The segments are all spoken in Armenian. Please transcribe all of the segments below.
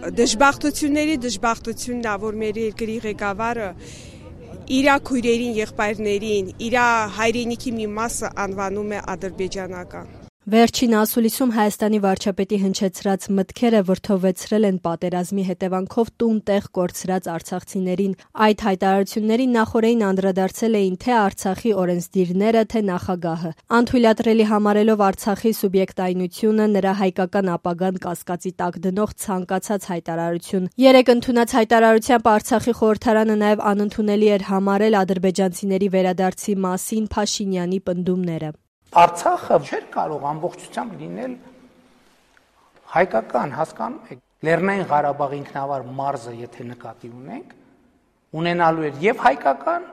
Դժբախտությունների դժբախտությունն է, որ մեր երկրի ղեկավարը իր քույրերին, եղբայրներին, իր հայրենիքի մի մասը անվանում է ադրբեջանական։ Վերջին ասուլիսում Հայաստանի վարչապետի հնչեցրած մտքերը վրդովվեցրել են պատերազմի հետևանքով տուն-տեղ կորցրած արցախցիներին։ Այդ հայտարարություններին նախօրեին անդրադարձել էին թե Արցախի օրենսդիրները, թե նախագահը։ Անթույլատրելի համարելով Արցախի սուբյեկտայնությունը, նրա հայկական ապագան կասկածի տակ դնող ցանկացած հայտարարություն։ Երեկ ընդունած հայտարարությամբ Արցախի խորհրդարանը նաև անընդունելի էր համարել ադրբեջանցիների վերադարձի մասին Փաշինյանի պնդումները։ Արցախը չէր կարող ամբողջությամբ լինել հայկական, հասկանում եք, Լեռնային Ղարաբաղի ինքնավար մարզը, եթե նկատի ունենք, ունենալու էր եւ հայկական,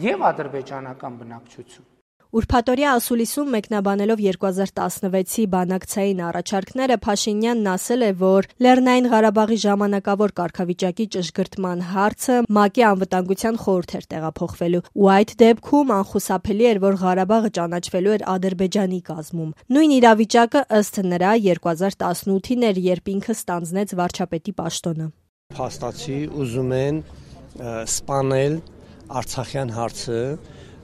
եւ ադրբեջանական բնակչություն։ Ուրբաթօրյա ասուլիսում մեկնաբանելով 2016-ի բանակցային առաջարկները Փաշինյանն ասել է, որ Լեռնային Ղարաբաղի ժամանակավոր կարգավիճակի ճշգրտման հարցը ՄԱԿ-ի անվտանգության խորհուրդ էր տեղափոխվելու, ու այդ դեպքում անխուսափելի էր, որ Ղարաբաղը ճանաչվելու էր Ադրբեջանի կազմում։ Նույն իրավիճակը ըստ նրա 2018-ին էր, երբ ինքը ստանձնեց վարչապետի պաշտոնը։ Փաստացի ուզում են սպանել Արցախյան հարցը,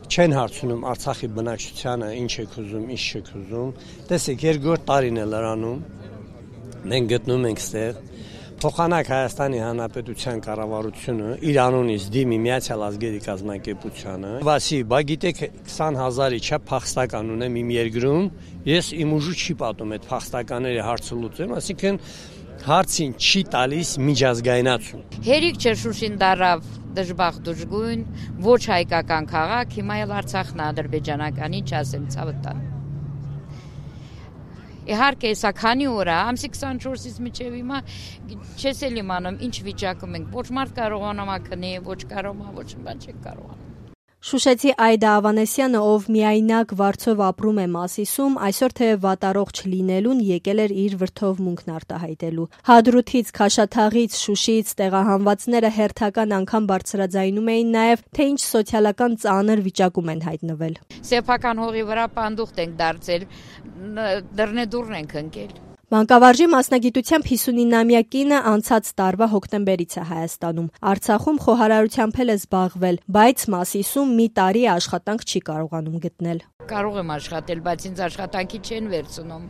չեն հարցնում Արցախի բնակչությանը ինչ եք ուզում, ինչ չեք ուզում։ Տեսեք, երկրորդ տարին է լրանում, մենք գտնում ենք ստեղ, փոխանակ Հայաստանի Հանրապետության կառավարությունը իր անունից դիմի Միացյալ Ազգերի կազմակերպությանը, բացի, բա գիտեք 20,000-ի չափ փախստական ունեմ իմ երկրում, ես իմ ուժու չի պատում այդ փախստականների հարցը լուծեմ, այսինքն հարցին չի տալիս միջազգայնացում։ Հերիք չէ Շուշին դարավ դժբախտ դժգույն, ոչ հայկական քաղաք, հիմա էլ Արցախն ադրբեջանականի չասեմ ցավտան։ Իհարկե, սա քանի օր է, ամսի 24-ից մինչև հիմա չես էլ իմանում ինչ վիճակում ենք, ոչ մարդ կարողանում է քնի, ոչ կարողանում, ոչ բան չեք կարողանում։ Շուշեցի Այդա Ավանեսյանը, ով միայնակ վարձով ապրում է Մասիսում, այսօր թեև վատառողջ լինելուն եկել էր իր վրդովմունքն արտահայտելու։ Հադրութից, Քաշաթաղից, Շուշիից տեղահանվածները հերթական անգամ բարձրաձայնում էին նաև, թե ինչ սոցիալական ծանր վիճակում են հայտնվել։ Սեփական հողի վրա պանդուխտ ենք դարձել, դռնեդուռն ենք ընկել։ Մանկավարժի մասնագիտությամբ 59-ամյա կինը անցած տարվա հոկտեմբերից է Հայաստանում։ Արցախում խոհարարությամբ էլ է զբաղվել, բայց Մասիսում մի տարի աշխատանք չի կարողանում գտնել։ Կարող եմ աշխատել, բայց ինձ աշխատանքի չեն վերցնում,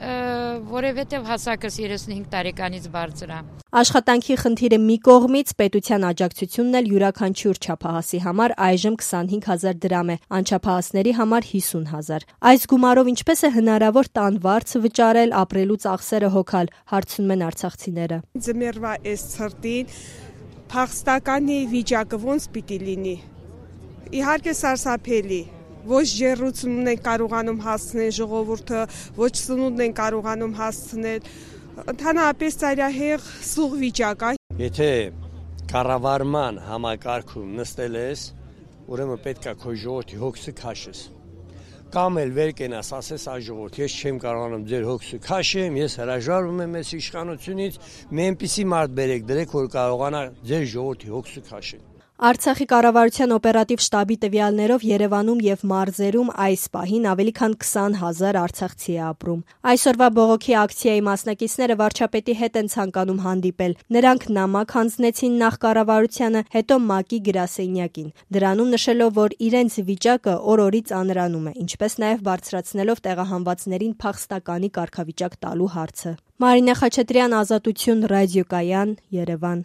որովհետև հասակս 35 տարեկանից բարձր է։ Աշխատանքի խնդիրը մի կողմից, պետության աջակցությունն էլ յուրաքանչյուր չափահասի համար այժմ 25,000 դրամ է, անչափահասների համար 50,000։ Այս գումարով ինչպես է հնարավոր տան վարձը վճարել, ապրելու ծախսերը հոգալ, հարցնում են արցախցիները։ Ձմեռվա այս ցրտին փախստականի վիճակը ոնց պիտի լինի։ Իհարկե սարսափելի։ Ոչ ջեռուցումն են կարողանում հասցնել ժողովուրդը, ոչ սնունդն են կարողանում հասցնել։ Ընդհանրապես ծայրահեղ սուղ վիճակ է։ Եթե կառավարման համակարգում նստել ես, ուրեմն պետք է քո ժողովրդի հոգսը քաշես։ Կամ էլ վեր կենաս, ասես այ ժողովուրդ, ես չեմ կարողանում ձեր հոգսը քաշեմ, ես հրաժարվում եմ այս իշխանությունից, մի այնպիսի մարդ բերեք դրեք, որ կարողանա ձեր ժողովրդի հոգսը քաշել։ Արցախի կառավարության օպերատիվ շտաբի տվյալներով Երևանում եւ մարզերում այս պահին ավելի քան 20,000 արցախցի է ապրում։ Այսօրվա բողոքի ակցիայի մասնակիցները վարչապետի հետ են ցանկանում հանդիպել։ Նրանք նամակ հանձնեցին նախ կառավարությանը, հետո ՄԱԿ-ի գրասենյակին, դրանում նշելով, որ իրենց վիճակը օր-օրի ծանրանում է, ինչպես նաեւ բարձրացնելով տեղահանվածներին փախստականի կարգավիճակ տալու հարցը։ Մարինե Խաչատրյան, Ազատություն, ռադիոկայան, Երևան։